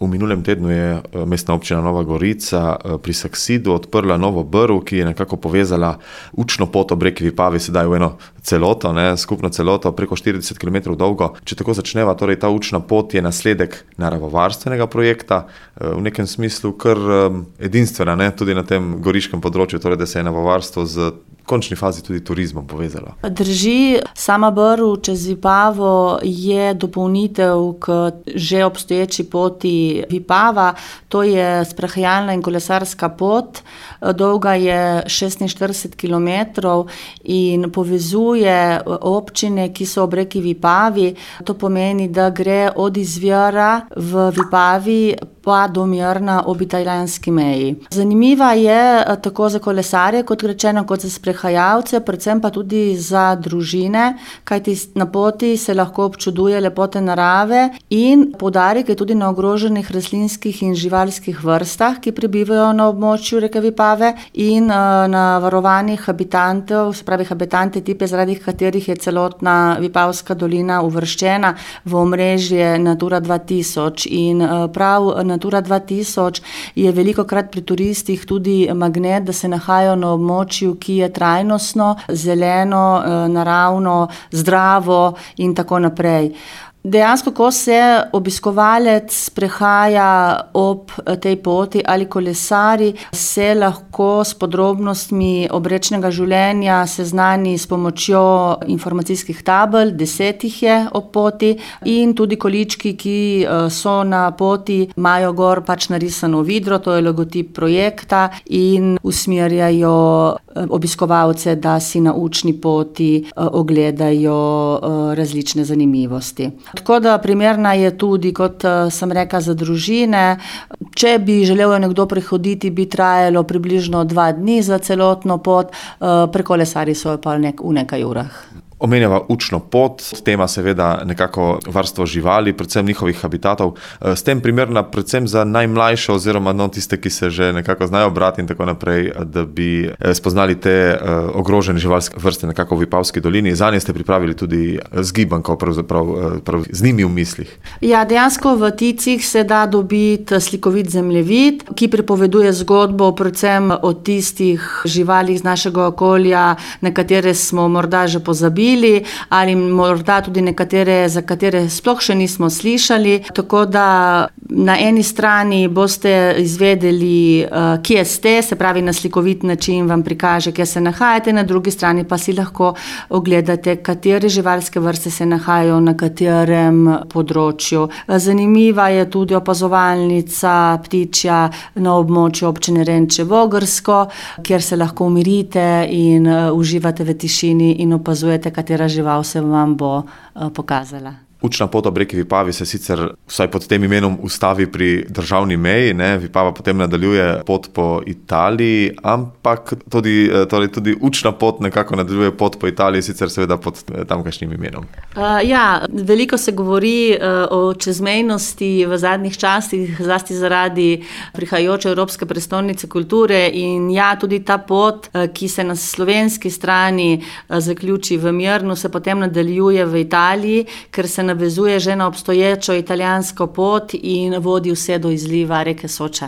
V minulem tednu je mestna občina Nova Gorica pri Saksidu odprla novo brv, ki je nekako povezala učno pot ob reki Vipavi sedaj v eno celoto, skupno celoto, preko 40 km dolgo. Če tako začneva, torej ta učna pot je nasledek naravovarstvenega projekta, v nekem smislu kar edinstvena, tudi na tem goriškem področju, torej da se je naravovarstvo z končni fazi tudi turizmom povezalo. Drži, sama brv čez Vipavo je dopolnitev k že obstoječi poti Vipava. To je sprehajalna in kolesarska pot, dolga je 46 km in povezuje občine, ki so ob reki Vipavi. To pomeni, da gre od izvira v Vipavi pa do Mirna ob italijanski meji. Zanimiva je tako za kolesarje, kot rečeno, kot za sprehajalce, predvsem pa tudi za družine, kajti na poti se lahko občuduje lepote narave in poudarek je tudi na ogroženih rastlinskih in živalskih vrstah, ki prebivajo na območju reke Vipave in na varovanih habitantov, se pravi habitante tipe, zaradi katerih je celotna Vipavska dolina uvrščena v omrežje Natura 2000 in prav Natura 2000 je velikokrat pri turistih tudi magnet, da se nahajajo na območju, ki je trajnostno, zeleno, naravno, zdravo in tako naprej. Dejansko, ko se obiskovalec sprehaja ob tej poti ali kolesari, se lahko s podrobnostmi obrečnega življenja seznani s pomočjo informacijskih tabel, 10 jih je ob poti, in tudi količki, ki so na poti, imajo gor narisano vidro, to je logotip projekta in usmerjajo obiskovalce, da si na učni poti ogledajo različne zanimivosti. Tako da primerna je tudi, kot sem rekla, za družine. Če bi želel nekdo prehoditi, bi trajalo približno 2 dni za celotno pot, prekolesari so pa v nekaj urah. Omenjava učno pot, tema seveda nekako varstvo živali, predvsem njihovih habitatov. S tem primerna predvsem za najmlajše oziroma tiste, ki se že nekako znajo brati in tako naprej, da bi spoznali te ogrožene živalske vrste nekako v Vipavski dolini. Zanje ste pripravili tudi zgibanko, pravzaprav z njimi v mislih. Ja, dejansko v Ticih se da dobiti slikovit zemljevid, ki pripoveduje zgodbo predvsem o tistih živalih z našega okolja, na katere smo morda že pozabili, ali morda tudi nekatere, za katere sploh še nismo slišali. Tako da na eni strani boste izvedeli, kje ste, se pravi na slikovit način vam prikaže, kje se nahajate, na drugi strani pa si lahko ogledate, katere živalske vrste se nahajajo na katerem področju. Zanimiva je tudi opazovalnica ptičja na območju občine Renče - Vogrsko, kjer se lahko umirite in uživate v tišini in opazujete, katera žival se vam bo pokazala. Učna pot ob reki Vipavi se sicer vsaj pod tem imenom ustavi pri državni meji, Vipava potem nadaljuje pot po Italiji, ampak tudi učna pot nekako nadaljuje pot po Italiji, sicer seveda pod tamkajšnjim imenom. Veliko se govori o čezmejnosti v zadnjih časih, zlasti zaradi prihajajoče Evropske prestolnice kulture in tudi ta pot, ki se na slovenski strani zaključi v Mirnu, se potem nadaljuje v Italiji, ker se navezuje že na obstoječo italijansko pot in vodi vse do izliva reke Soče.